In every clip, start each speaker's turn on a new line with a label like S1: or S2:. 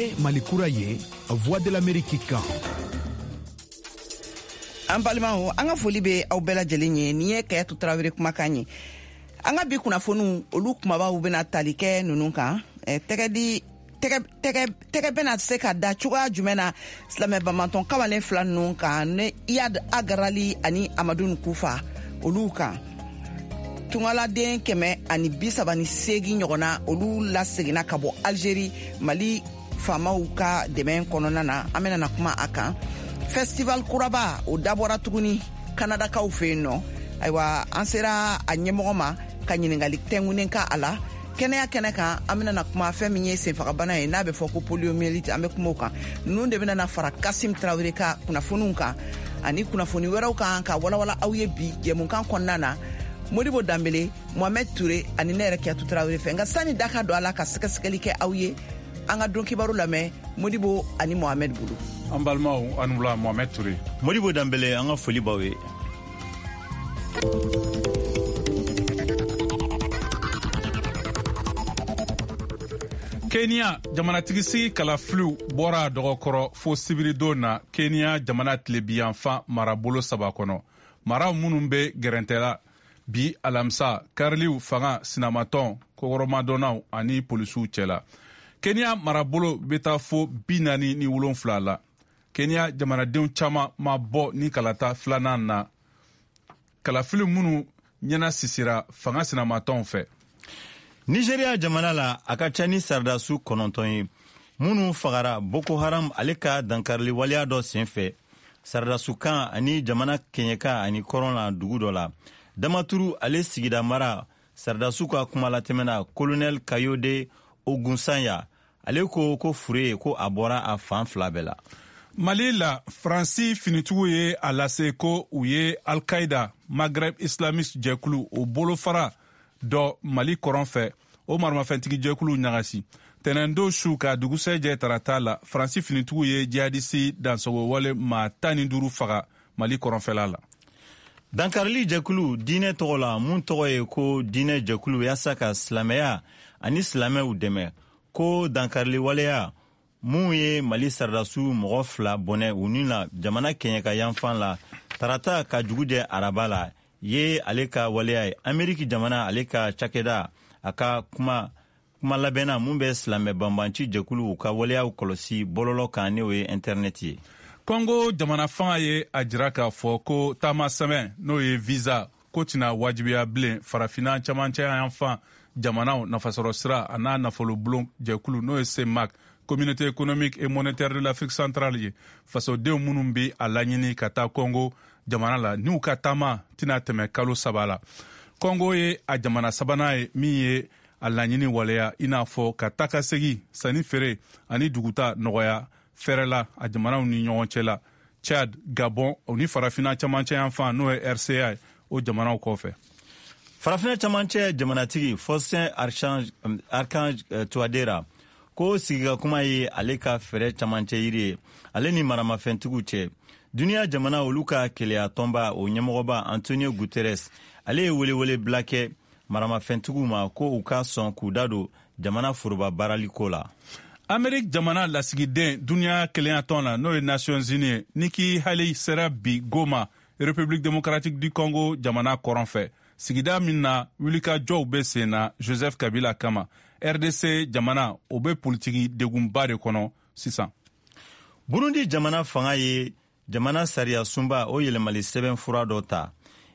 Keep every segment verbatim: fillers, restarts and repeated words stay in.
S1: Ye Mali kura ye, Voix de l'Amérique kan.
S2: An balimaw, an ka foli bɛ aw bɛɛ lajɛlen ye. Nin ye Kayatu Tarawele kumakan ye. An ka bi kunnafoniw, olu kumabaw bɛna tali kɛ ninnu kan. Tɛgɛ di tɛgɛ bɛna se ka da cogoya jumɛn na silamɛ banbatɔn kamalen fila ninnu kan, ni Iyad Ag Ghali ani Amadu Kufa olu kan. Tungaladen kɛmɛ ani bi saba ni seegin ɲɔgɔnna, olu laseginna ka bɔ Algérie Mali faamaw ka dɛmɛ kɔnɔna na. An bɛna na kuma a kan. Festival kuraba o dabɔra tuguni Kanadakaw fɛ yen nɔ. Ayiwa, an sera a ɲɛmɔgɔ ma ka ɲininkali tɛnkunnen ka a la. Kɛnɛya kɛnɛ kan, an bɛna na kuma fɛn min ye senfagabana ye, n'a bɛ fɔ ko poliomyélite, an bɛ kuma o kan. Ninnu de bɛna na fara Kasim Tarawele ka kunnafoniw kan ani kunnafoni wɛrɛw kan ka walawala aw ye bi jɛmukan kɔnɔna na. Modibo Danbele, Mohamed Touré ani ne yɛrɛ Kiyatu Tarawele fɛ. Nka sani da ka don a la ka sɛgɛsɛgɛli kɛ aw ye, an ka don kibaru lamɛn Modibo ani Mohamed bolo.
S3: An balimaw, an wula. Mohamed Touré,
S4: Modibo Danbele, an ka foli b'aw ye.
S3: Kenya jamanatigisigi kalafiliw bɔra dɔgɔkɔrɔ fo sibiridon na Kenya jamana tilebiyanfan marabolo saba kɔnɔ, maraw minnu bɛ gɛrɛntɛla bi alamisa kariliw fanga sinamatɔn kɔkɔrɔmadonnaw ani polisiw cɛla. Kenya marabolo bɛ taa fo bi naani ni wolonfila la. Kenya jamanadenw caman ma bɔ ni kalata filanan na, kalafili minnu ɲɛna sisira fanga sinamatɔnw fɛ.
S4: Nigeria jamana la, a ka ca ni saradasu kɔnɔntɔn ye minnu fagara Boko Haram ale ka dankarili waleya dɔ senfɛ saradasukan ani jamana kɛɲɛka ani kɔrɔn la dugu dɔ la. Damaturu ale sigida mara saradasiw ka kumalatɛmɛna, Kolonɛl Kayode Ogunsanya, ale ko ko fure ko a bɔra a fan fila bɛɛ la.
S3: Mali la, Faransi finitigiw ye a lase ko u ye Al-Qaida Maghreb Islamiste jɛkulu, o bolofara dɔ Mali kɔrɔn fɛ, o maramafɛntigi jɛkulu ɲagasi tɛnɛndon su ka dugusɛjɛ tarata la. Faransi finitigiw ye jihadisi dansagowale maa tan ni duuru faga Mali kɔrɔnfɛla la.
S4: Dankarili jɛkulu diinɛ tɔgɔ la, mun tɔgɔ ye ko diinɛ jɛkulu yaasa ka silamɛya ani silamɛw dɛmɛ, ko dankarili waleya mun ye Mali saradasiw mɔgɔ fila bɔnɛ u ni la jamana kɛɲɛka yanfan la tarata ka jugu jɛ araba la ye ale ka waleya ye. Ameriki jamana ale ka cakɛda a ka kuma kuma labɛnna mun bɛ silamɛ banbanci jɛkuluw ka waleyaw kɔlɔsi bɔlɔlɔ kan, n'o ye intɛrɛnɛti ye.
S3: Kɔngo jamana fanga ye a jira k'a fɔ ko taama sɛbɛn, n'o ye visa, ko tɛna wajibiya bilen Farafinna camancɛ yanfan jamanaw nafasɔrɔ sira a n'a nafolobulon jɛkulu, n'o ye CEMAC, Communauté économique et monétaire de l'Afrique centrale ye, fasodenw minnu bɛ a laɲini ka taa Kɔngo jamana la, n'u ka taama tɛna tɛmɛ kalo saba la. Kɔngo ye a jamana sabanan ye min ye a laɲini waleya, i n'a fɔ ka taa ka segi, sanni feere ani duguta nɔgɔya fɛrɛ la a jamanaw ni ɲɔgɔn cɛ la, Chad, Gabon o ni Farafinna camancɛ yanfan, n'o ye R C A ye, o jamanaw kɔfɛ.
S4: Farafinna camancɛ jamanatigi Faustin Archange, Archange eh, Touadera ko sigika kuma ye ale ka fɛɛrɛ camancɛ yiri ye ale ni maramafɛntigiw cɛ. Duniya jamana olu ka keleya tɔnba o ɲɛmɔgɔba Antonio Guterres, ale ye welewele bila kɛ maramafɛntigiw ma ko u ka sɔn k'u da don jamana foroba baaraliko la.
S3: Amerik jamana lasigiden duniya kelenyatɔn la, n'o ye Nations Unies ye, Nikki Haley sera bi Goma, République démocratique du Congo jamana kɔrɔn fɛ, sigida min na wulikajɔw bɛ sen na Joseph Kabila kama. R D C jamana o bɛ politiki degunba de kɔnɔ sisan.
S4: Burundi jamana fanga ye jamana sariya sunba o yɛlɛmali sɛbɛn fura dɔ ta.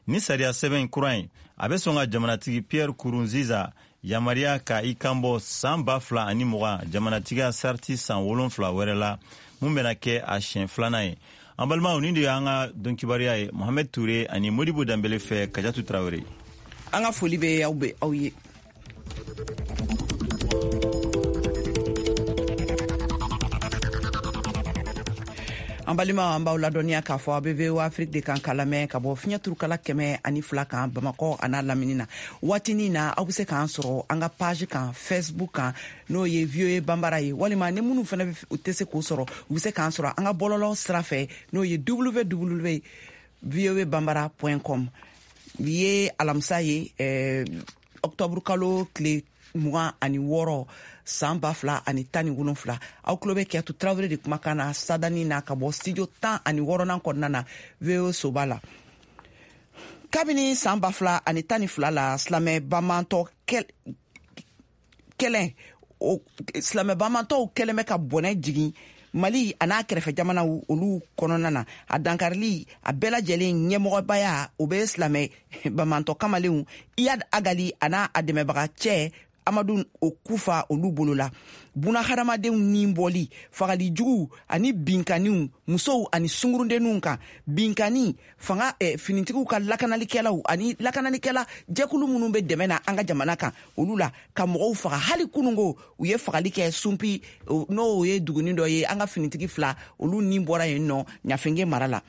S4: Ni sariya sɛbɛn kura in, a bɛ sɔn ka jamanatigi Pierre Nkurunziza yamaruya ka i kanbɔ san ba fila ani mugan jamanatigiya sariti san wolonfila wɛrɛ la, mun bɛna kɛ a siɲɛ filanan ye. An balimaw, nin de y'an ka don kibaruya ye Mohamɛd Ture ani Modibo Danbele fɛ, Kajatu Tarawele.
S2: An ka foli bɛ aw bɛ aw ye. An balima, an b'aw ladɔnniya k'a fɔ a bɛ V O A Afrique de kan ka lamɛn ka bɔ fiɲɛ turukala kɛmɛ ani fila kan Bamakɔ a n'a lamini na. Waatinin na, aw bɛ se k'an sɔrɔ an ka page kan Facebook kan, n'o ye V O A Banbara ye, walima ni minnu fana u tɛ se k'o sɔrɔ, u bɛ se k'an sɔrɔ an ka bɔlɔlɔ sira fɛ, n'o ye W W voa bambara point com. Bi ye alamisa ye, eh, octobre kalo tile mugan ani wɔɔrɔ san ba fila ani tan ni wolonfila. Aw tulo bɛ Kiyatu Tarawele de kumakan na sadani na ka bɔ studio tan ani wɔɔrɔnan kɔnɔna na V O Soba la. Kabini san ba fila ani tan ni fila la, silamɛ bamantɔ kɛlɛ silamɛ bamantɔw kɛlen bɛ ka bɔnɛ jigin Mali a n'a kɛrɛfɛ jamanaw olu kɔnɔna na. A dankarili a bɛɛ lajɛlen ɲɛmɔgɔbaya o bɛ silamɛ bamantɔ kamalenw Iyad Agali a n'a a dɛmɛbaga cɛ Amadu Okufa olu bolo la. Buna hadamadenw ni bɔli, fagali jugu ani binkaniw musow ani sungurudenninw kan, binkani fanga eh, finitigiw ka lakanalikɛlaw ani lakanalikɛla jɛkulu minnu bɛ dɛmɛ na an ka jamana kan olu la ka mɔgɔw faga. Hali kunungo u ye fagali kɛ Sunpi, n'o ye duguni dɔ ye, an ka finitigi fila olu ni bɔra yen nɔ Ɲafenge mara la.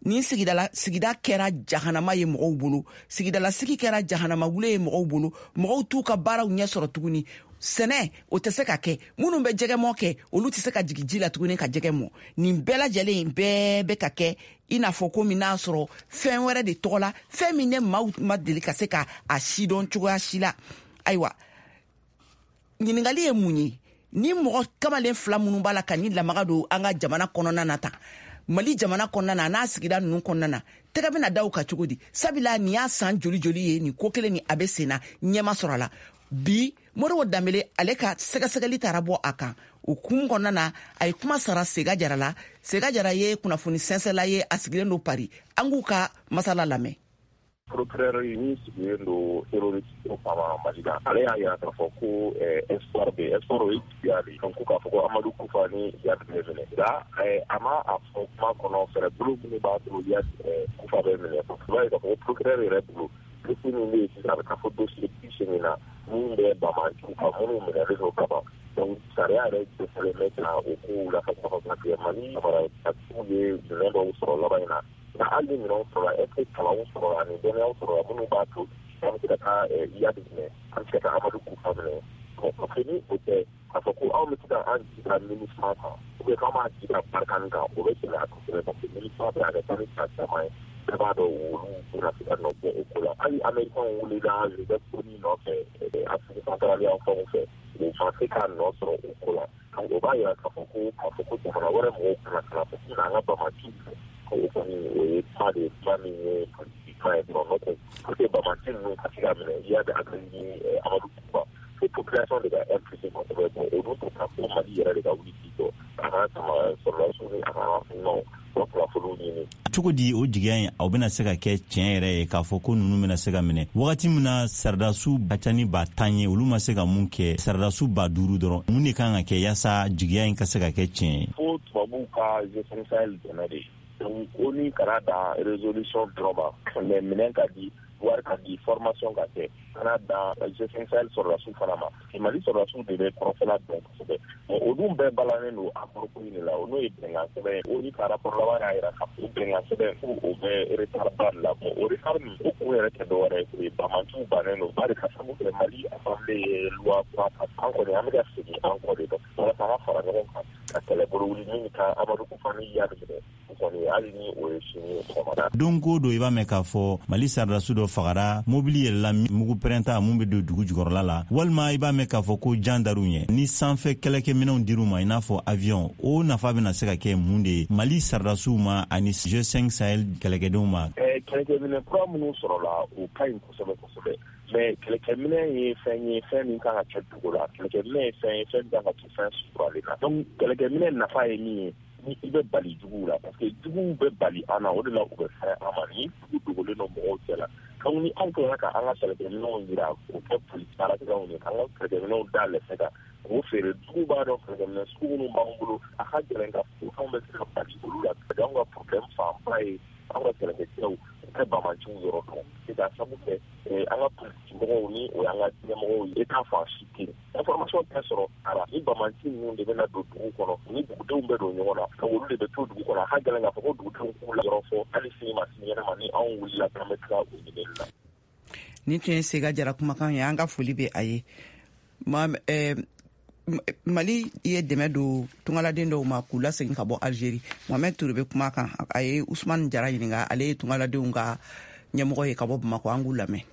S2: Ni sigidala sigida kɛra jahanama ye mɔgɔw bolo, sigidala sigi kɛra jahanama wule ye mɔgɔw bolo, mɔgɔw t'u ka baaraw ɲɛ sɔrɔ tuguni. Sɛnɛ o tɛ se ka kɛ, minnu bɛ jɛgɛmɔ kɛ olu tɛ se ka jigin ji la tuguni ka jɛgɛ mɔ. Nin bɛɛ lajɛlen bɛɛ bɛ ka kɛ i n'a fɔ komi n'a sɔrɔ fɛn wɛrɛ de tɔgɔ la, fɛn min ne maaw ma deli ka se ka a sidɔn cogoya si la. Ayiwa, ɲininkali ye mun ye? Ni mɔgɔ kamalen fila minnu b'a la ka ni lamaga don an ka jamana kɔnɔna na tan, Mali jamana kɔnɔna na n'a sigida ninnu kɔnɔna na, tɛgɛ bɛna da u kan cogo di? Sabula nin y'a san joli joli ye nin ko kelen ni a bɛ sen na, ɲɛma sɔrɔ a la. Bi Moribo Danbele ale ka sɛgɛsɛgɛli taara bɔ a kan. O kun kɔnɔna na, a ye kuma sara Sega Jara la. Sega Jara ye kunnafoni sɛnsɛla ye, a sigilen don Paris. An k'u ka masala lamɛn.
S5: Procureur min sigilen don terroriste kama Mali la, ale y'a yira k'a fɔ ko espoir bɛ, espoir o ye jigiya de ye, ko k'a fɔ ko Amadu Kufa ni Iyad bɛ minɛ. Nka a ma a fɔ kuma kɔnɔ fɛɛrɛbolo minnu b'a to Iyad Kufa bɛ minɛ. I b'a ye k'a fɔ ko procureur yɛrɛ bolo dossier min bɛ yen sisan, a bɛ taa fɔ dossier bi seegin na min bɛ bamaciw kan minnu minɛlen don ka ban. Donc sariya yɛrɛ dɛsɛlen bɛ ka o kow la ka parce que Mali maratigiw ye minɛn dɔw sɔrɔ laban in na. Nka hali ni minɛnw sɔrɔla, est ce que kalanw sɔrɔla ani dɔnniyaw sɔrɔla minnu b'a to an bɛ se ka taa Iyad minɛ, an bɛ se ka taa Amadu Kufa minɛ? Parce que ni o tɛ, k'a fɔ ko anw bɛ se ka an jigi da MINUSMA kan ou bien k'an b'an jigi da Barkhane kan, o bɛ gɛlɛya kosɛbɛ parce que MINUSMA bɛ a ka ca ni san caman ye, bɛɛ b'a dɔn olu bɛna se ka nɔ bɔ o ko la. Hali Américains wulila Joseph Kony nɔfɛ Afrique centrale yan fanw fɛ, u ma se ka nɔ sɔrɔ o ko la. Donc o b'a yira k'a fɔ ko k'a fɔ ko jamana wɛrɛ mɔgɔw kana kana fɔ k'u n'an ka bamaciw fɛ, o kɔni o ye kuma de ye, kuma min ye politiki kuma ye dɔrɔn. N'o tɛ pour que bamaci ninnu ka se ka minɛ Iyad Agali ni Amadu Kufa, fo population de ka impliqué kosɛbɛ. Bon o dun tɛ taa fo Mali yɛrɛ de ka wuli k'i jɔ a ka sama sɔrɔdasiw ni a ka renseignement ka kunnafoniw ɲini.
S4: Cogo di o jigiya in aw bɛna se ka kɛ tiɲɛ yɛrɛ ye k'a fɔ ko ninnu bɛna se ka minɛ wagati min na sardasiw ka ca ni ba tan ye, olu ma se ka mun kɛ, sardasiw ba duuru dɔrɔn, mun de kan ka kɛ yaasa jigiya in ka se ka kɛ tiɲɛ ye?
S5: Fo tubabuw ka G cinq Sahel dɛmɛ de. Donc o ni kana dan résolution dɔrɔn ma, mais minɛn ka di, wari ka di, formation ka kɛ, kana dan G cinq Sahel sɔrɔdasiw fana ma. Mali sɔrɔdasiw de bɛ kɔrɔfɛla dɔn kosɛbɛ. Bon o dun bɛɛ balannen don accord ko in de la, o n'o ye bɛnkan sɛbɛn ye. O ni ka rapport laban y'a yira k'a fɔ bɛnkan sɛbɛn ko o bɛ retard ba de la. Bon o retard nin o kun yɛrɛ tɛ dɔwɛrɛ ye, o ye bamaciw bannen don bari ka sababu kɛ Mali assemblée ye loi kura ta. An kɔni an bɛ ka segin an kɔ de dɔn walasa an ka fara ɲɔgɔn kan ka kɛlɛbolo wuli min ka Amadu Kufa ni Iyad minɛ. O kɔni hali ni o ye sini ye sɔgɔmada.
S4: Don ko don i b'a mɛn k'a fɔ Mali sardasiw dɔ fagara, mobili yɛlɛla mugu pɛrɛnta mun bɛ don dugu jukɔrɔla la, walima i b'a mɛn k'a fɔ ko jan dar'u ɲɛ. Ni sanfɛ kɛlɛkɛminɛnw dir'u ma i n'a fɔ avion, o nafa bɛna se ka kɛ mun de ye Mali sardasiw ma ani G cinq Sahel kɛlɛkɛdenw ma?
S5: Kɛlɛkɛminɛ kura minnu sɔrɔla o ka ɲi kosɛbɛ kosɛbɛ, mais kɛlɛkɛminɛ ye fɛn ye, fɛn min kan ka kɛ dugu la. Kɛlɛkɛminɛ ye fɛn ye, fɛn min kan ka to fɛn suturalen na. Donc kɛlɛkɛminɛ nafa ye min ye, ni i bɛ bali juguw la, parce que juguw bɛ bali an na, o de la u bɛ fɛn an ma. Ni jugu dogolen don mɔgɔw cɛ la, donc ni anw tilala ka an ka kɛlɛkɛminɛnw yira k'o kɛ polisi baarakɛlaw ye, k'an ka kɛlɛkɛminɛnw da lɛfɛ kan k'o feere, juguw b'a dɔn kɛlɛkɛminɛn sugu minnu b'an bolo, a ka gɛlɛn ka fɔ anw bɛ se ka bali olu la. Anw ka problème fanba ye anw ka kɛlɛkɛcɛw u tɛ bamaciw yɔrɔ dɔn, k'a sababu kɛ an ka polisi mɔgɔw ni o y'an ka ɲɛmɔgɔw ye, e t'a fɔ a si tɛ yen information tɛ sɔrɔ ara. Ni bamaci ninnu de bɛna don dugu kɔnɔ, ni dugudenw bɛ don ɲɔgɔn na, olu de bɛ to dugu kɔnɔ. A ka gɛlɛn k'a fɔ ko dugudenw k'u la yɔrɔ fɔ hali sini ma sinikɛnɛ ma ni anw wulila k'an bɛ tila o ɲinili la.
S2: Nin tun ye Sega Jara kumakan ye, an ka foli bɛ a ye. Mali ye dɛmɛ don tungaladen dɔw ma k'u lasegin ka bɔ Algérie. Mohamed Touré bɛ kuma kan, a ye Usumani Jara ɲininka, ale ye tungaladenw ka ɲɛmɔgɔ ye ka bɔ Bamakɔ, an k'u lamɛn.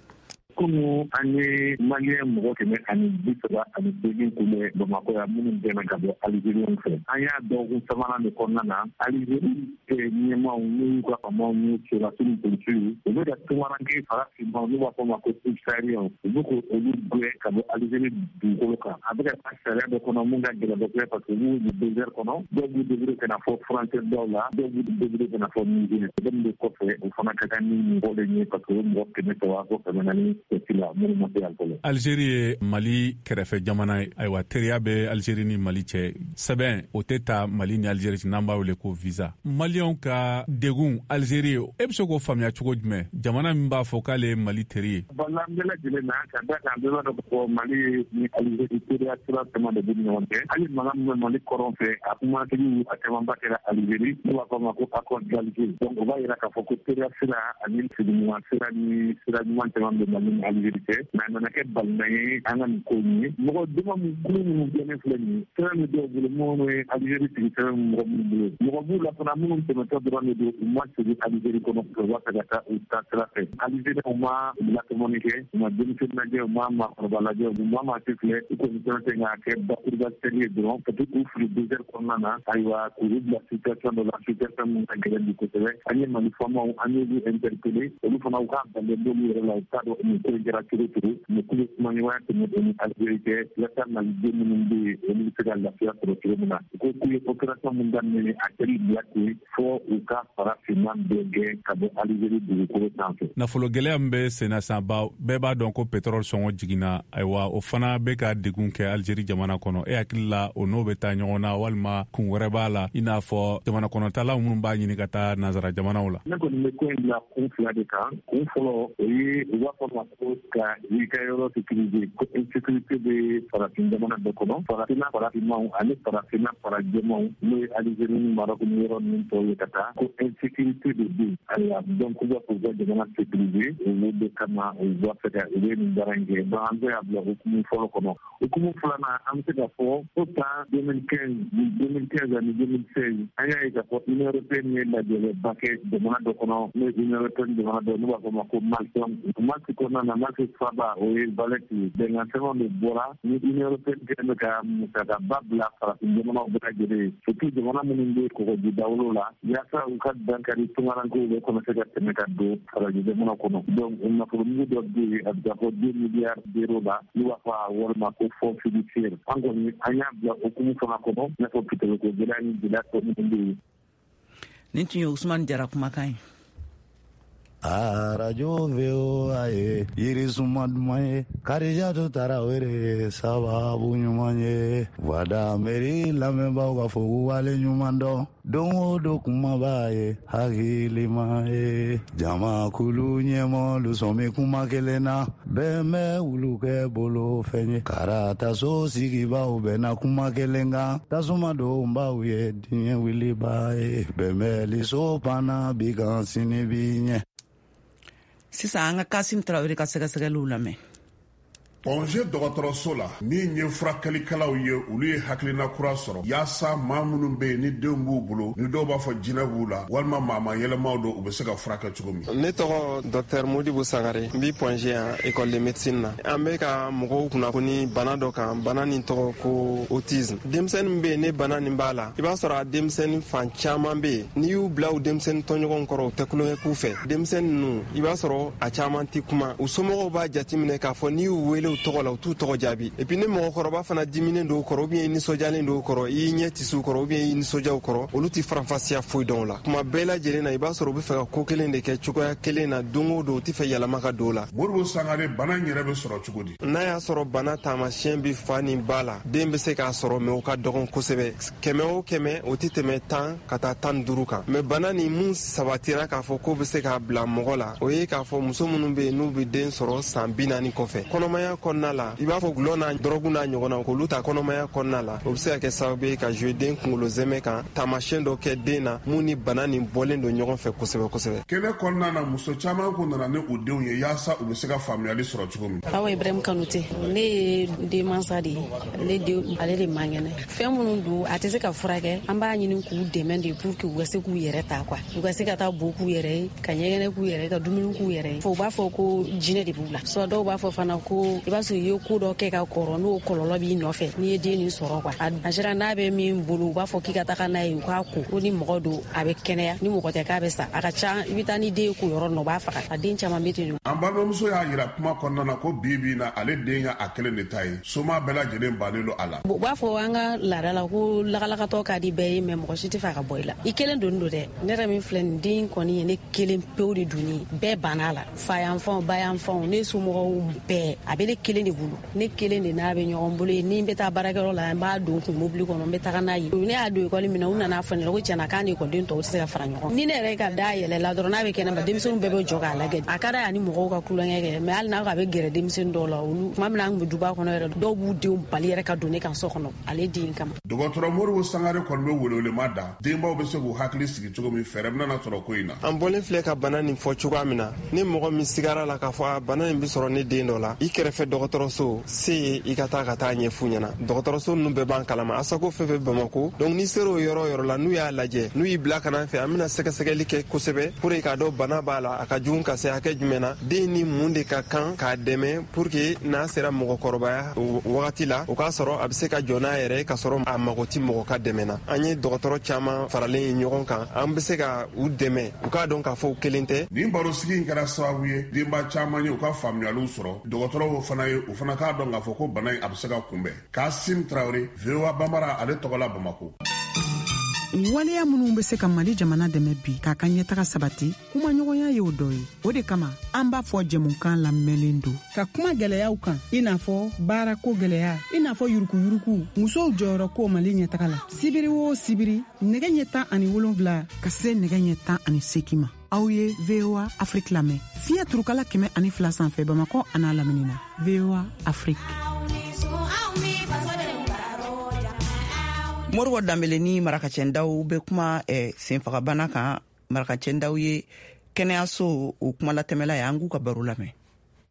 S5: Kunu an ye maliyɛn mɔgɔ kɛmɛ ani bi saba ani seegin kunbɛn Bamakɔ yan minnu dɛmɛ ka bɔ Alizeriw fɛ. An y'a dɔgɔkun sabanan de kɔnɔna na Alizeri ɲɛmaaw n'u y'u ka faamaw n'u sɔrɔdasiw ni polisiw u bɛ ka tungaranke farafinmaw n'u b'a fɔ ma ko subsahariens u bɛ k'olu gɛn ka bɔ Alizeri dugukolo kan. A bɛ ka taa sariya dɔ kɔnɔ mun ka gɛlɛn kosɛbɛ parce que u b'u désert kɔnɔ, dɔw b'u débrouiller ka na fɔ frontière daw la, dɔw b'u débrouiller ka na fɔ Niger. Sɛbɛn de kɔfɛ o fana ka kan ni mɔgɔ de ye parce que o mɔgɔ kɛmɛ saba fo kɛmɛ naani jate la minnu ma se yan fɔlɔ.
S3: Alizeri ye Mali kɛrɛfɛ jamana ye. Ayiwa, teriya bɛ Alizeri ni Mali cɛ. Sɛbɛn o tɛ ta Mali ni Alizeri cɛ n'an b'a wele ko visa. Maliyɛnw ka degun Alizeri ye, e bɛ se k'o faamuya cogo jumɛn? Jamana min b'a fɔ k'ale ye Mali teri ye.
S5: Bala bɛɛ lajɛlen na ka da kan bɛɛ b'a dɔn ko Mali ni Alizeri teriya sira caman de b'u ni ɲɔgɔn cɛ. Hali mankan min bɛ Mali kɔrɔn fɛ, a kumatigiw a camanba kɛra Alizeri, n'u b'a fɔ a ma ko accord d'Alger. Donc o b'a yira k'a fɔ ko teriya sira ani sigiɲɔgɔn sira ni sira ɲuman caman bɛ Mali ni Alizeri cɛ. Mais a nana kɛ balima ye an ka nin ko in ye. Mɔgɔ dama min kulu minnu gɛnnen filɛ nin ye, sɛbɛn bɛ dɔw bolo minnu ye Alizeri sigi sɛbɛn mɔgɔ minnu bolo. Mɔgɔ b'u la fana minnu tɛmɛtɔ dɔrɔn de don, u ma segin Alizeri kɔnɔ, u b'a fɛ ka taa u ta sira fɛ. Alizeriw ma latɔmɔni kɛ, u ma denmisɛnnin lajɛ, u ma maakɔrɔba lajɛ, u ma maa si filɛ, u kɔni fɛn fɛn k'a kɛ bakuruba sɛli ye dɔrɔn ka to k'u fili désert kɔnɔna na. Ayiwa, k'u bila situation dɔ la, situation min ka gɛlɛn bi kosɛbɛ. An ye Mali faamaw, an y'olu interpellé, olu fana u k'a banden b'olu yɛrɛ la, u t'a dɔn nin ko in kɛra cogo cogo. Mais k'u bɛ kumaɲɔgɔnya tɛmɛ u ni Alizeri cɛ walasa maliden minnu bɛ yen olu bɛ se ka lafiya sɔrɔ cogo min na. U ko k'u ye opération min daminɛ, a kɛli bila ten fo u ka farafinna bɛɛ gɛn ka bɔ Alizeri dugukolo sanfɛ.
S3: Nafolo gɛlɛya min bɛ sen na sisan, bɛɛ b'a dɔn ko pétrole sɔngɔ jiginna. Ayiwa, o fana bɛ ka degun kɛ Alizeri jamana kɔnɔ. E hakili la o n'o bɛ taa ɲɔgɔn na walima kun wɛrɛ b'a la, i n'a fɔ jamana kɔnɔtalaw minnu b'a ɲini ka taa nansara jamanaw la?
S5: Ne kɔni bɛ ko in bila kun fila de kan. Kun fɔlɔ, o ye u b'a fɔ ma ko ka i ka yɔrɔ sécuriser, ko insécurité bɛ farafin jamana bɛɛ kɔnɔ, farafinna farafinmaw ani farafinna farajɛmaw, n'o ye Alizeri ni Marɔku ni yɔrɔ ninnu tɔw ye ka taa, ko insécurité de bɛ yen. Ayiwa, donc u b'a fɔ u ka jamana sécuriser, olu de kama u b'a fɛ ka u bɛ nin baara in kɛ. Donc an bɛ se ka bila hukumu fɔlɔ kɔnɔ. Hukumu filanan, an bɛ se ka fɔ ko san deux mille quinze deux mille quinze ani deux mille seize, an y'a ye k'a fɔ Union européenne ye lajɛlɛba kɛ jamana dɔ kɔnɔ, n'o ye Union européenne jamana dɔ, n'u b'a fɔ ma ko Malte. Malte kɔnɔna na, Malte faba o ye Valette ye. Bɛnkan sɛbɛnw de bɔra ni Union européenne kɛlen bɛ ka musakaba bila farafin jamanaw bɛɛ lajɛlen ye, surtout jamana minnu bɛ kɔgɔji dawolo la, yaasa u ka dankari tungarankew bɛ commencer ka tɛmɛ ka don farajɛ jamana kɔnɔ. Donc nafolomugu dɔ bɛ yen, a bɛ taa fɔ deux milliards d'euros la, n'u b'a fɔ a wari ma ko fonds fiduciaire. An kɔni an y'a bila hukumu fana kɔnɔ, i n'a fɔ pétrole ko gɛlɛya ni gɛlɛya tɔ minnu bɛ yen.
S2: Nin tun ye Usumani Jara kumakan ye.
S6: Arajo V O A ye yirisuma duman ye, Karijatu Tarawele sababu ɲuman ye. Voix d'Amérique lamɛnbaaw ka fɔ k'u wale ɲuman dɔn, don o don kumaba ye hakilima ye. Jamakulu ɲɛmɔgɔlu sɔn bɛ kuma kelen na, bɛn bɛ wulu kɛ bolo fɛn ye. Karataso sigibaaw bɛnna kuma kelen kan, tasuma donbaw ye diɲɛ wuliba ye. Bɛnbɛnliso panna bi kan sini bi ɲɛ.
S2: Sisan an ka Kasim Tarawele ka sɛgɛsɛgɛliw lamɛn.
S7: Point G dɔgɔtɔrɔso la, min ye furakɛlikɛlaw ye, olu ye hakilina kura sɔrɔ yaasa maa minnu bɛ yen ni denw b'u bolo, ni dɔw b'a fɔ jinɛ b'u la walima maama yɛlɛmaw don, u bɛ se ka furakɛ cogo min.
S8: Ne tɔgɔ Docteur Modibo Sangare, n bi Point G yan école de médecine na. An bɛ ka mɔgɔw kunnafoni bana dɔ kan, bana nin tɔgɔ ko autisme. Denmisɛnnin min bɛ yen ne bana nin b'a la, i b'a sɔrɔ a denmisɛnnin fan caman bɛ yen, n'i y'u bila u denmisɛnnin tɔɲɔgɔnw kɔrɔ, u tɛ tulonkɛ k'u fɛ. Denmisɛnnin ninnu, i b'a sɔrɔ a caman tɛ kuma. U somɔgɔw b'a jateminɛ k'a fɔ n'i y'u wele tɔgɔ la, u t'u tɔgɔ jaabi. Et puis ni mɔgɔkɔrɔba fana diminen don kɔrɔ, ou bien i nisɔndiyalen don kɔrɔ, i ɲɛ tɛ s'u kɔrɔ, ou bien i nisɔndiya u kɔrɔ, olu tɛ faranfasiya foyi dɔn o la. Kuma bɛɛ lajɛlen na, i b'a sɔrɔ u bɛ fɛ ka ko kelen de kɛ cogoya kelen na don o don, u tɛ fɛ yɛlɛma ka don o la.
S7: Modibo Sangare, bana in yɛrɛ bɛ sɔrɔ cogo di?
S8: N'a y'a sɔrɔ bana taamasiyɛn bɛ fa ni ba la, den bɛ se k'a sɔrɔ, mais o ka dɔgɔn kosɛbɛ. Kɛmɛ o kɛmɛ, o tɛ tɛmɛ tan ka taa tan ni duuru kan. Mais bana nin mun sabatira k'a fɔ k'o bɛ se k'a bila mɔgɔ la, o ye k'a fɔ muso minnu bɛ yen n'u bɛ den sɔrɔ san bi naani kɔfɛ, kɔnɔmaya kɔnɔna la, i b'a fɔ gulɔ n'a dɔrɔgu n'a ɲɔgɔnna, k'olu ta kɔnɔmaya kɔnɔna la, o bɛ se ka kɛ sababu ye ka jouer den kunkolo zɛmɛ kan, taamasiyɛn dɔ kɛ den na mun ni bana nin bɔlen don ɲɔgɔn fɛ kosɛbɛ kosɛbɛ.
S7: Kɛnɛ kɔnɔna na, muso caman kun nana ni u denw ye yaasa u bɛ se ka faamuyali sɔrɔ cogo min.
S9: Awa Ibrahim Kanute, ne ye denmansa de ye, ne den ale de man kɛnɛ. Fɛn minnu don a tɛ se ka furakɛ, an b'a ɲini k'u dɛmɛ de pour que u ka se k'u yɛrɛ ta quoi, u ka se ka taa bo k'u yɛrɛ ye, ka ɲɛgɛnɛ k'u yɛrɛ ye, ka dumuni k'u yɛrɛ ye. Fo u b'a fɔ ko jinɛ de b'u la, soit dɔw b'a fɔ fana ko i b'a sɔrɔ i ye ko dɔ kɛ ka kɔrɔ, n'o kɔlɔlɔ b'i nɔfɛ n'i ye den nin sɔrɔ quoi. A sera n'a bɛ min bolo, u b'a fɔ k'i ka taga n'a ye u k'a ko, ko ni mɔgɔ don a bɛ kɛnɛya, ni mɔgɔ tɛ k'a bɛ sa. A ka ca i bɛ taa ni den ye ko yɔrɔ nɔ, u b'a faga. A den caman bɛ ten.
S7: An balimamuso y'a yira kuma kɔnɔna na ko bi bi in na ale den y'a kelen de ta ye, soma bɛɛ lajɛlen bannen don a la.
S9: U b'a fɔ an ka laada la ko lakalakatɔ ka di bɛɛ ye, mɛ mɔgɔ si tɛ fɛ ka bɔ i la. I kelen doni don dɛ. Ne yɛrɛ min filɛ nin den kɔni ye ne kelen pewu de doni, bɛɛ banna a la, fa yan fanw, ba yan fanw, ne somɔgɔw bɛɛ, a bɛ ne kelen de bolo, ne kelen de n'a bɛ ɲɔgɔn bolo ye. Ni n bɛ taa baarakɛyɔrɔ la, n b'a don kun mobili kɔnɔ, n bɛ taga n'a ye. Ne y'a don ekɔli min na, u nana fɔ ne ɲɛna ko tiɲɛna k'a ni ekɔliden tɔw tɛ se ka fara ɲɔgɔn. Ni ne yɛrɛ ka da yɛlɛla dɔrɔn, n'a bɛ kɛnɛma, denmisɛnninw bɛɛ bɛ jɔ k'a lajɛ. A ka d'a ye ani mɔgɔw ka tulonkɛ kɛ, mɛ hali n'a ko a bɛ gɛrɛ denmisɛnnin dɔw la, olu tuma min na an tun bɛ duba kɔnɔ yɛrɛ, dɔw b'u denw bali yɛrɛ ka don ne kan so kɔnɔ ale den kama.
S7: Dɔgɔtɔrɔ Moribo Sangare kɔni bɛ welewelema da denbaw bɛ se k'u hakili sigi cogo min, fɛɛrɛ bɛna sɔrɔ ko in na.
S8: An bɔlen filɛ ka bana nin fɔ cogoya min na, ni mɔgɔ min sigara la k'a fɔ a bana nin bɛ sɔrɔ ne den dɔ la, i kɛrɛfɛ dɔgɔtɔrɔso se ye i ka taa ka taa ɲɛf'u ɲɛna. Dɔgɔtɔrɔso ninnu bɛɛ b'an kalama, Asako fɛn fɛn Bamako. Donc n'i sera o yɔrɔ yɔrɔ la, n'u y'a lajɛ, n'u y'i bila ka na fɛ, an bɛna sɛgɛsɛgɛli kɛ kosɛbɛ pour que k'a dɔn bana b'a la, a ka jugu ka se hakɛ jumɛn na, den ni mun de ka kan k'a dɛmɛ pour que n'a sera mɔgɔkɔrɔbaya wagati la, o k'a sɔrɔ a bɛ se ka jɔ n'a yɛrɛ ye, k'a sɔrɔ a mago ti mɔgɔ ka dɛmɛ na. An ye dɔgɔtɔrɔ caman faralen ye ɲɔgɔn kan, an bɛ se ka u dɛmɛ, u k'a dɔn k'a fɔ u kelen tɛ.
S7: Nin barosigi in kɛra sababu ye denba caman ye u ka faamuyaliw sɔrɔ, dɔgɔtɔrɔw fana ye u fana k'a dɔn k'a fɔ ko bana in a bɛ se ka kunbɛn. Kasim Traoré, V O A Bambara, ale tɔgɔ la Bamako.
S10: Waleya minnu bɛ se ka Mali jamana dɛmɛ bi k'a ka ɲɛtaga sabati, kumaɲɔgɔnya y'o dɔ ye. O de kama an b'a fɔ jɛmukan lamɛnlen don ka kuma gɛlɛyaw kan, i n'a fɔ baarako gɛlɛya, i n'a fɔ yurukuyuruku, musow jɔyɔrɔ ko Mali ɲɛtaga la. Sibiri o sibiri, nɛgɛ ɲɛ tan ani wolonfila ka se nɛgɛ ɲɛ tan ani seegin ma, aw ye V O A Afrique lamɛn fiɲɛ turukala kɛmɛ ani fila sanfɛ Bamakɔ an'a lamini na. V O A Afrique.
S2: Moribo Danbele ni Marakacɛndaw bɛ kuma eh, senfagabana kan. Marakacɛndaw ye kɛnɛyaso o kumalatɛmɛla ye, an k'u ka baro lamɛn.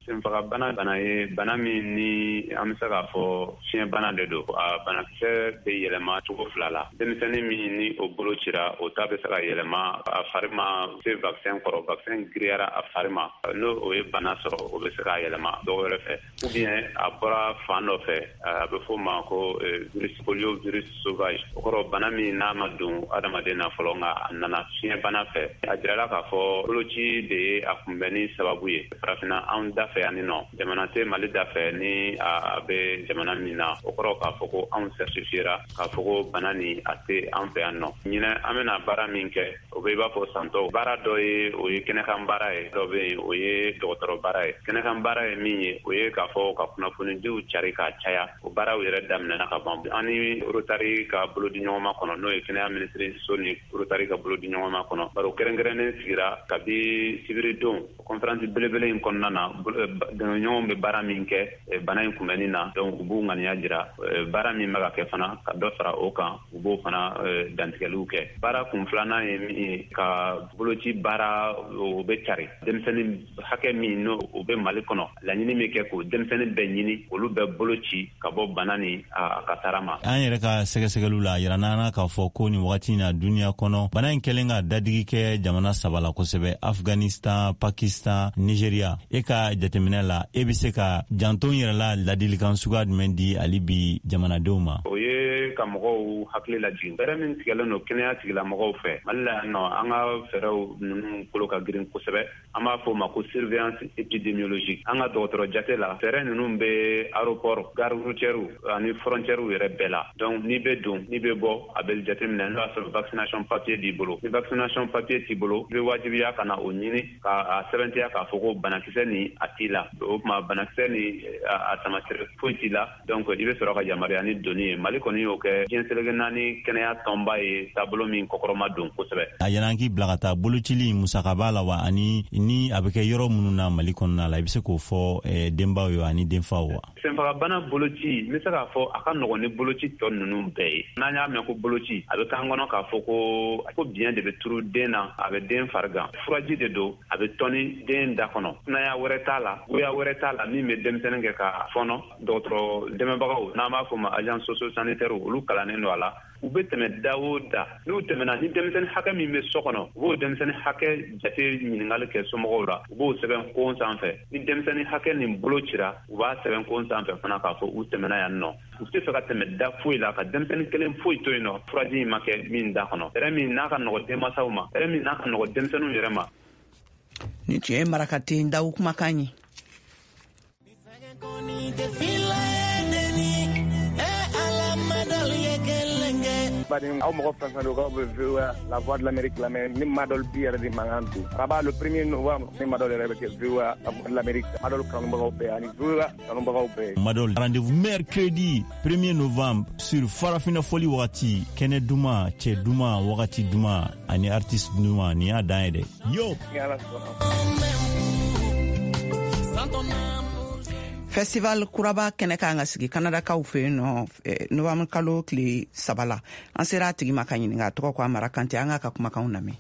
S11: Senfagabana bana ye bana min ni an bɛ se k'a fɔ fiɲɛbana de don. A banakisɛ bɛ yɛlɛma cogo fila la. Denmisɛnnin min ni o bolo cira, o ta bɛ se ka yɛlɛma a fari ma se vaccin kɔrɔ, vaccin giriyara a fari ma, n'o o ye bana sɔrɔ, o bɛ se ka yɛlɛma dɔw wɛrɛ fɛ. Ou bien a bɔra fan dɔ fɛ, a bɛ f'o ma ko virus polio, virus sauvage. O kɔrɔ bana min n'a ma don adamaden na fɔlɔ, nka a nana fiɲɛbana fɛ. A jirala k'a fɔ boloci de ye a kunbɛnni sababu ye. Farafinna anw da fɛ yanni nɔ, jamana tɛ Mali da fɛ ni a bɛ jamana min na, o kɔrɔ k'a fɔ ko anw certifiera k'a fɔ ko bana nin a tɛ an fɛ yan nɔ. Ɲinɛ an bɛna baara min kɛ, o bɛ i b'a fɔ santɔ baara dɔ ye, o ye kɛnɛkan baara ye, dɔ bɛ yen o ye dɔgɔtɔrɔ baara ye. Kɛnɛkan baara ye min ye, o ye k'a fɔ ka kunnafonidiw cari k'a caya. O baaraw yɛrɛ daminɛna ka ban. An ni Rotary ka bolodiɲɔgɔnma kɔnɔ, n'o ye kɛnɛya minisiriso ni Rotary ka bolodiɲɔgɔnma kɔnɔ, baro kɛrɛnkɛrɛnnen sigira kabi sibiridon conférence belebele in kɔnɔna na. Dɛmɛɲɔgɔnw bɛ baara min kɛ bana in kunbɛnni na, donc u b'u ŋaniya jira baara min bɛ ka kɛ fana, ka dɔ fara o kan, u b'o fana dantigɛliw kɛ. Baara kun filanan ye min ye, ka boloci baara o bɛ cari. Denmisɛnnin hakɛ min n'o o bɛ Mali kɔnɔ, laɲini min kɛ k'o denmisɛnnin bɛɛ ɲini, olu bɛɛ bolo ci ka bɔ bana ni a kasara ma.
S4: An yɛrɛ ka sɛgɛsɛgɛliw la, a yira n'an na k'a fɔ ko nin wagati in na duniya kɔnɔ, bana in kɛlen ka dadigi kɛ jamana saba la kosɛbɛ: Afghanistan, Pakistan, Nigeria. E ka jateminɛ la, e bɛ se ka janto yɛrɛ la ladilikan suguya jumɛn di hali bi jamanadenw ma?
S11: O ye ka mɔgɔw hakili lajigin. Fɛɛrɛ min tigɛlen don kɛnɛya tigilamɔgɔw fɛ Mali la yan nɔ, an ka fɛɛrɛw ninnu kolo ka girin kosɛbɛ. An b'a fɔ o ma ko surveillance épidémiologique. An ka dɔgɔtɔrɔ jate la, fɛɛrɛ ninnu bɛ aéroport, gare routière ani frontière yɛrɛ bɛɛ la. Donc n'i bɛ don, n'i bɛ bɔ, a bɛ jateminɛ n'o y'a sɔrɔ vaccination papier b'i bolo. Ni vaccination papier t'i bolo, i bɛ wajibiya ka na o ɲini k'a sɛbɛntiya k'a fɔ ko banakisɛ nin a t'i la. O tuma banakisɛ ni a taamasiyɛn foyi t'i la, donc i bɛ sɔrɔ ka yamaruya ni donni ye. Mali kɔni y'o kɛ. kɛ diɲɛ seleke naani kɛnɛya tɔnba ye taabolo min kɔkɔrɔma don kosɛbɛ.
S4: A yɛlɛn k'i bila ka taa bolocili musaka b'a la wa, ani ni a bɛ kɛ yɔrɔ minnu na Mali kɔnɔna la, i bɛ se k'o fɔ denbaw ye ani denfaw wa?
S11: Senfagabana boloci, n bɛ se k'a fɔ a ka nɔgɔn ni boloci tɔ ninnu bɛɛ ye. N'an y'a mɛn ko boloci, a bɛ k'an kɔnɔ k'a fɔ ko ko biɲɛ de bɛ turu den na, a bɛ den farigan. Furaji de don, a bɛ tɔni den da kɔnɔ. Kunaya wɛrɛ t'a la, goya wɛrɛ t'a la min bɛ denmisɛnnin kɛ ka fɔnɔ. Dɔgɔtɔrɔ dɛmɛbagaw, n'an b'a fɔ ma agent socio-sanitaire, olu kalannen don a la. U bɛ tɛmɛ da o da, n'u tɛmɛna ni denmisɛnnin hakɛ min bɛ so kɔnɔ, u b'o denmisɛnnin hakɛ jate ɲininkali kɛ somɔgɔw la, u b'o sɛbɛn kon sanfɛ. Ni denmisɛnnin hakɛ nin bolo cira, u b'a sɛbɛn kon sanfɛ fana k'a fɔ u tɛmɛna yan nɔ. U tɛ fɛ ka tɛmɛ da foyi la, ka denmisɛnnin kelen foyi to yen nɔ, furaji in ma kɛ min da kɔnɔ. Fɛɛrɛ min n'a ka nɔgɔ denmansaw ma, fɛɛrɛ min n'a ka nɔgɔ denmisɛnninw yɛrɛ ma.
S2: Nin tun ye Marakaten Dawu kumakan ye.
S12: Baden aw mɔgɔ fɛn fɛn don k'aw bɛ V O A la voix de l'Amérique lamɛn, ni Madɔl bi yɛrɛ de mankan don. Araba le premier novembre, ni Madɔl yɛrɛ bɛ kɛ V O A la voix de l'Amérique. Madɔl kanubagaw bɛɛ ani V O A kanubagaw bɛɛ.
S4: Madɔl rendez-vous mercredi premier novembre sur Farafina Foli wagati, kɛnɛ duman, cɛ duman, wagati duman ani artiste duman, nin y'a dan ye dɛ. Yo.
S12: Ni Ala sɔnna.
S2: Festival kuraba kɛnɛ kan ka sigi Kanadakaw fɛ yen nɔ novembre kalo tile saba la. An sera a tigi ma ka ɲininka, a tɔgɔ ko Amara Kante. An k'a ka kumakanw lamɛn.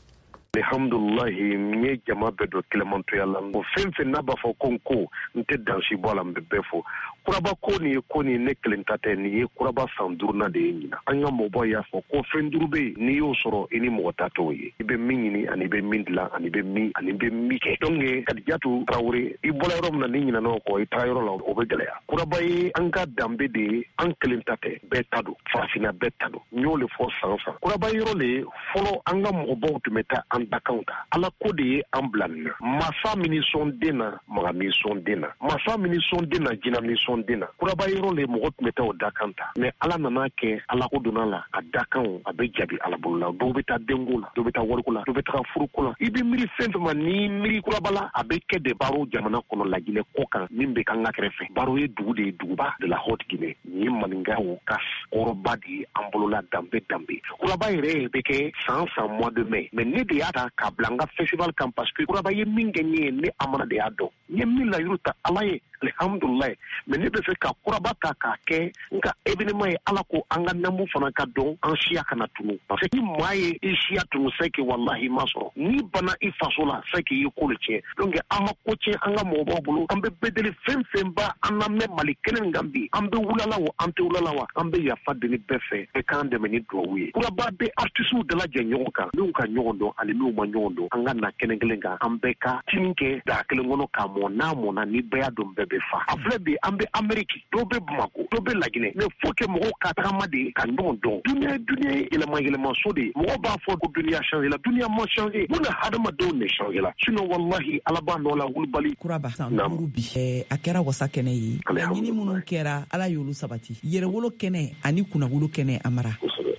S13: Alhamdulilahi, n ye jama bɛɛ don kilemantoya la. O fɛn fɛn n'a b'a fɔ ko n ko n tɛ dansi bɔ a la, n bɛ bɛɛ fo. Kuraba ko nin ye ko nin ne kelen ta tɛ, nin ye kuraba san duurunan de ye ɲinan. An ka mɔbɔ y'a fɔ ko fɛn duuru bɛ yen, n'i y'o sɔrɔ i ni mɔgɔ ta t'o ye. I bɛ min ɲini ani i bɛ min dilan ani i bɛ min ani i bɛ min kɛ. Donc Kadijatu Tarawele, i bɔra yɔrɔ min na n'i ɲinɛna o kɔ, i taara yɔrɔ la o bɛ gɛlɛya. Kuraba ye an ka danbe de ye, an kelen ta tɛ, bɛɛ ta don, farafinna bɛɛ ta don. N y'o de fɔ san san. Kuraba yɔrɔ le fɔlɔ an ka mɔgɔbaw tun bɛ taa an dakanw ta. Ala ko de ye an bila nin na. Masa min sɔn den na, maga min sɔn den na. Masa min sɔn den na, jinɛ min sɔn den na. Kuraba yɔrɔ le mɔgɔ tun bɛ taa o dakan ta. Mais Ala nana kɛ, Ala ko donna la, a dakanw a bɛ jaabi Ala bolo la. Dɔw bɛ taa denko la, dɔw bɛ taa wariko la, dɔw bɛ taga furuko la. I bɛ miiri fɛn fɛn ma, n'i miiri kuraba la, a bɛ kɛ de baro jamana kɔnɔ Laginɛ kɔ kan min bɛ k'an ka kɛrɛfɛ. Baro ye dugu de ye, duguba de la Haute Guinée. Nin ye maninkaw ka kɔrɔba de ye an bolo la, danbe danbe. Kuraba yɛrɛ bɛ kɛ san san mois de mai. Mais ne de y'a ta k'a bila n ka festival kan parce que kuraba ye min kɛ n ye, ne Amara de y'a dɔn. N ye min layiru ta Ala ye, alhamdulilayi. Mais ne bɛ fɛ ka kuraba ta k'a kɛ n ka événement ye. Ala ko an ka namu fana ka dɔn, an siya kana tunu. Parce que ni maa ye i siya tunu, c'est que wallahi ma sɔrɔ. N'i banna i faso la, c'est que i ye ko de tiɲɛ. Donc an ma ko tiɲɛ an ka mɔgɔbaw bolo. An bɛ bɛɛ deli fɛn fɛn ba an lamɛn Mali kelen min kan bi. An bɛ wulala wa, an tɛ wulala wa, an bɛ yafa deli bɛɛ fɛ. Bɛɛ k'an dɛmɛ ni duwawu ye. Kuraba bɛ artistes dalajɛ ɲɔgɔn kan, minnu ka ɲɔgɔn dɔn ani minnu ma ɲɔgɔn dɔn. An ka na kɛnɛ kelen kan, an bɛɛ ka tini kɛ daa kelen kɔnɔ k'a mɔn. N'a mɔnna, ni bɛɛ y'a dɔn, bɛɛ bɛ fa. A filɛ bi, an bɛ Amérique, dɔw bɛ Bamako, dɔw bɛ Laginɛ. Mais faut que mɔgɔw ka tagama de ka ɲɔgɔn dɔn. Dunuya dunuya ye yɛlɛma yɛlɛmaso de ye. Mɔgɔw b'a fɔ ko dunuya changé la, dunuya ma changé. Mun na hadamadenw de changé la? Sinon wallahi Ala b'a nɔ la wulibali.
S14: Kuraba san duuru bi, a kɛra wasa kɛnɛ ye. Laɲini minnu kɛra, Ala y'olu sabati. Yɛrɛwolo kɛnɛ ani kunnawolo kɛnɛ, Amara.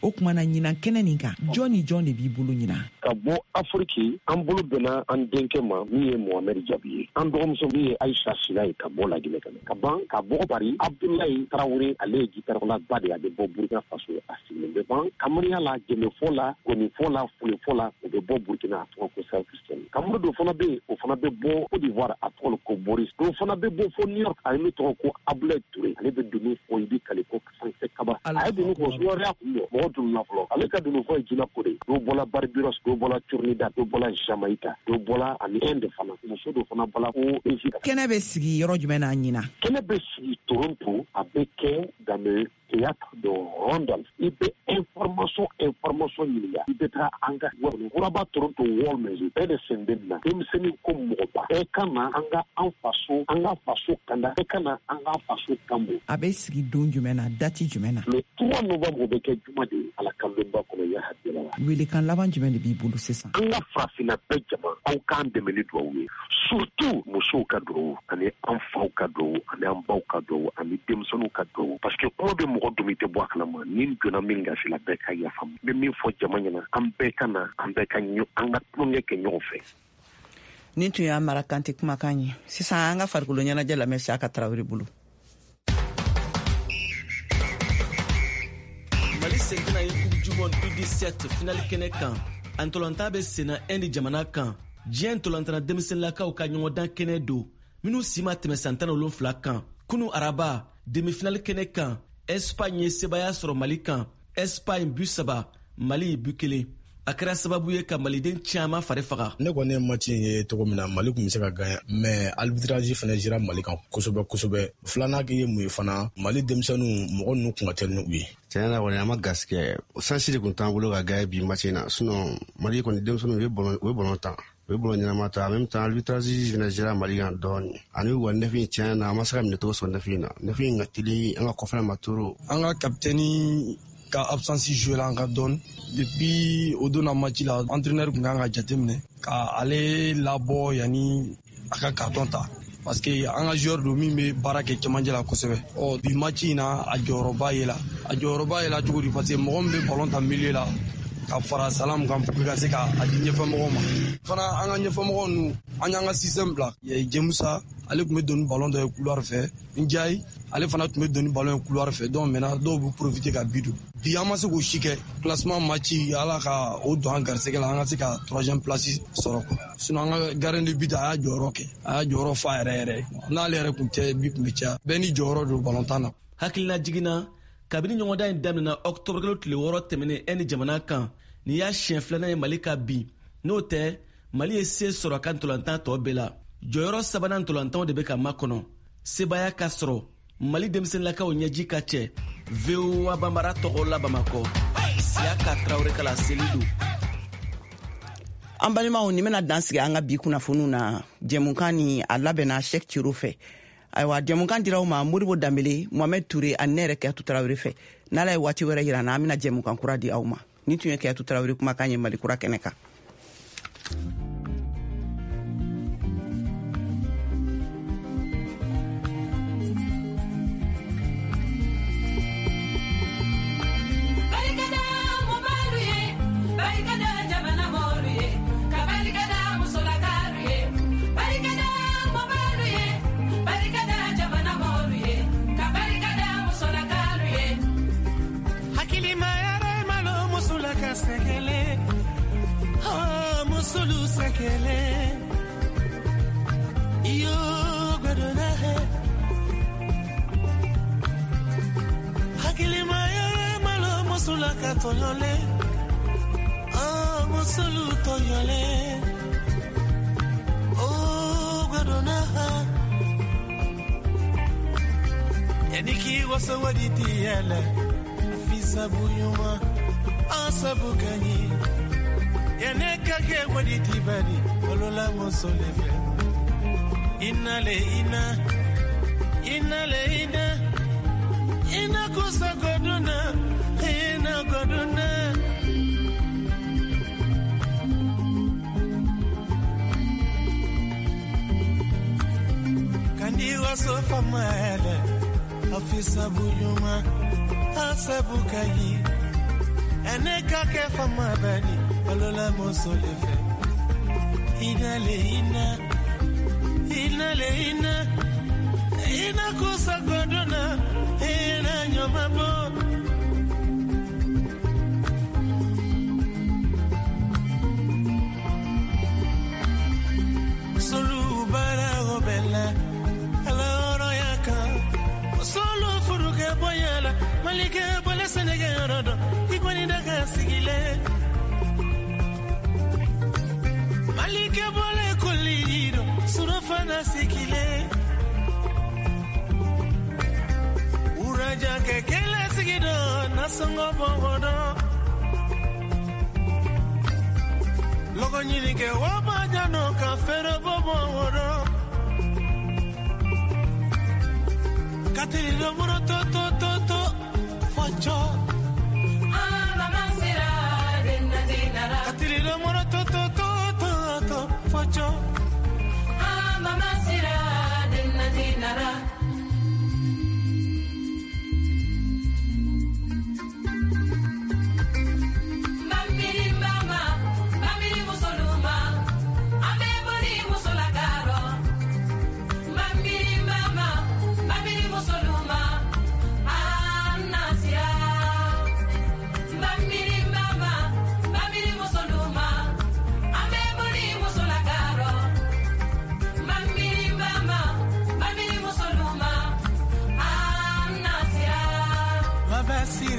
S14: O kuma na ɲinan kɛnɛ nin kan, jɔn ni jɔn de b'i bolo ɲinan?
S13: Ka bɔ Afiriki, an bolo bɛnna an denkɛ ma min ye Mohamed Jabi ye. An dɔgɔmuso min ye Aïcha Sila ye ka bɔ Laginɛ ka na. Ka ban ka bɔ Paris, Abdoulaye Traoré, ale ye gitarala ba de ye, a bɛ bɔ Burkina Faso, a sigilen bɛ ban kamariya la, jɛmɛfɔ la, gɔnifɔ la, fulefɔ la, o bɛ bɔ Burkina, a tɔgɔ ko Sal Christian. Kamuru dɔ fana bɛ yen, o fana bɛ bɔ Côte d'Ivoire, a tɔgɔ ko Boris. Dɔw fana bɛ bɔ fo New York, a ye min tɔgɔ ko Abdoulaye Touré, ale bɛ dunun fɔ, i bɛ kale ko Sanfɛ Kaba. A ye dunun fɔ, sumaworo kun bɔ, mɔgɔ dununna fɔlɔ. Ale ka dunun fɔ ye jinɛ ko de ye. Dɔw bɔla Barbados, dɔw bɔla Trinidad, dɔw bɔla Jamaica, dɔw bɔla ani Inde fana. Muso dɔ fana bɔla ko Egypte.
S14: Kɛnɛ bɛ sigi yɔrɔ jumɛn na ɲinan?
S13: Kɛnɛ bɛ sigi Toronto, a bɛ kɛ dans le théâtre de Randolph. I bɛ information information ɲininka, i bɛ taa an ka Kuraba Toronto World Music bɛɛ de sen bɛ nin na. Denmisɛnnin ko mɔgɔba, bɛɛ ka na an ka an faso, an ka faso kanda, bɛɛ ka na an ka faso kanbo.
S14: A bɛ sigi don jumɛn na, date jumɛn na?
S13: Le trois novembre, o bɛ kɛ juma de ye, Ala kanbɛnba kɔnɔ ya hakili la.
S14: Welekan laban jumɛn de b'i bolo sisan?
S13: An ka farafinna bɛɛ jama, aw k'an dɛmɛ ni duwawu ye. Surtout musow ka duwawu, ani an faw ka duwawu, ani an baw ka duwawu, ani denmisɛnninw ka duwawu. Parce que kuma bɛ mɔgɔ dumi tɛ bɔ a kalama. Ni n donna min gasi la, bɛɛ ka yafa. N bɛ min fɔ jama ɲɛna, an bɛɛ ka na, an bɛɛ ka an ka tulonkɛ kɛ ɲɔgɔn fɛ.
S2: Nin tun y'a Mara Kante kumakan ye. Sisan an ka farikolo ɲɛnajɛ lamɛn Siyaka Tarawele bolo.
S15: Mali seginna ye Coupe du monde U dix-sept finale kɛnɛ kan. A ntolantan bɛ senna Inde jamana kan. Diɲɛ ntolantanna denmisɛnninlakaw ka ɲɔgɔndan kɛnɛ don minnu si ma tɛmɛ san tan ni wolonfila kan. Kunu araba demi-finale kɛnɛ kan, Espagne ye sebaaya sɔrɔ Mali kan. Espagne bu saba, Mali bu kelen. A kɛra sababu ye ka maliden caman fari faga.
S16: Ne kɔni ye match in ye cogo min na, Mali tun bɛ se ka gagner, mais arbitrage fana jira Mali kan kosɛbɛ kosɛbɛ. Filanan ye mun ye fana, Mali denmisɛnninw mɔgɔ ninnu kun ka teli ni u ye.
S17: Tiɲɛ na kɔni an ma garisɛgɛ, chance de tun t'an bolo ka gagner bi match in na, sinon Mali kɔni denmisɛnninw u ye ballon u ye ballon tan. U ye ballon ɲɛnama ta, en même temps arbitrage fana jira Mali kan dɔɔnin. Ani u ka neuf in tiɲɛ na an ma se ka minɛcogo sɔrɔ neuf in na. Neuf in ka teli an ka kɔfɛla ma trop.
S18: An ka capitaine ka absence joué la an ka dɔɔni. Depuis o donna match la, entraîneur kun kan ka jateminɛ ka ale labɔ yanni a ka carton ta. Parce que an ka joueur don min bɛ baara kɛ cɛmancɛ la kosɛbɛ. Ɔ bi match in na a jɔyɔrɔba ye la. A jɔyɔrɔba ye la cogo di? Parce que mɔgɔ min bɛ ballon ta milieu la ka fara Salam kan pour que ka se ka a di ɲɛfɛmɔgɔw ma. Fana an ka ɲɛfɛmɔgɔw ninnu, an y'an ka système bila. Jemusa ale tun bɛ don ni ballon dɔ ye couloir fɛ. Ndiaye ale fana tun bɛ don ni ballon ye couloir fɛ. Donc maintenant dɔw bɛ profiter ka bi don. Bi an ma se k'o si kɛ. Classement match ala ka o don an garisɛgɛ la, an ka se ka troisième place sɔrɔ quoi. Sinon an ka gardien de but a y'a jɔyɔrɔ kɛ. A y'a jɔyɔrɔ fa yɛrɛ yɛrɛ. N'ale yɛrɛ tun tɛ bi tun bɛ caya. Bɛɛ n'i jɔyɔrɔ don ballon tan na.
S15: Hakilina jiginna kabini ɲɔgɔndan in daminɛna octobre kalo tile wɔɔrɔ tɛmɛnen Inde jamana kan. Nin y'a siɲɛ filanan ye Mali ka bin. N'o tɛ, Mali ye se sɔrɔ a ka ntolantan tɔ bɛɛ la. Jɔyɔrɔ sabanan ntolantanw de bɛ ka makɔnɔ. Sebaaya ka sɔrɔ Mali denmisɛnninlakaw ɲɛji ka cɛ. V O A Bambara tɔgɔ la Bamakɔ. Siyaka Tarawele kala seli don.
S2: An balimaw, nin bɛna dan sigi an ka bi kunnafoniw na. Jɛmukan ni a labɛnna Cheikh Ciro fɛ. Ayiwa, jɛmukan dira aw ma Modibo Danbele, Mohamed Touré ani ne yɛrɛ Kayatu Tarawele fɛ. N'Ala ye waati wɛrɛ yira an na, an bɛna jɛmukan kura di aw ma. Nin tun ye Kayatu Tarawele kumakan ye Mali kura kɛnɛ kan.
S19: Inale ina, inale ina, ina kusa goduna, ina goduna. Kandi wasofa maele, afisa buyuma, asabu kayi. Ene kake fama bani, olola mosolefe. Inale ina, inale ina, ina kusa godona, ina nyoma bo. Solu bara gobela, ala oro yaka. Solu furuke boyala, malike bole senege yorodo, ikwani daga sigile. Malike bole kolido, surafana sikile. Uraja kekele sigido, nasongo bongodo. Logo nyini ke wabajano ka fero bongodo. Katiri romuro to to to to, focho.
S20: Ah, mama sira, denna dinara.
S19: Katiri romuro to to to. Focho.
S20: Ah, mama sira, denna dinara. Mamiri mama, mamiri musoluma, ambe bori musolakaro. Mamiri mama, mamiri musoluma, anna sira.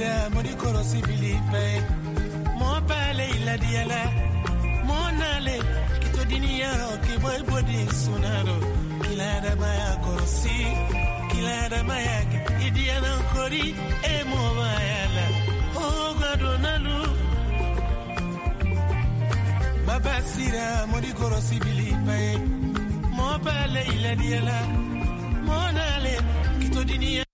S19: sira mori kɔrɔsi bili pɛ mɔ b'ale ladiyala mɔ n'ale k'i to diniyarɔ k'i bɔ i bɔ de sunarɔ k'i ladamaya kɔrɔsi k'i ladamaya kɛ i diyala kori e mɔ b'a la o gadonnalu baba sira mori kɔrɔsi bili pɛ mɔ b'ale ladiyala mɔ n'ale k'i to diniya.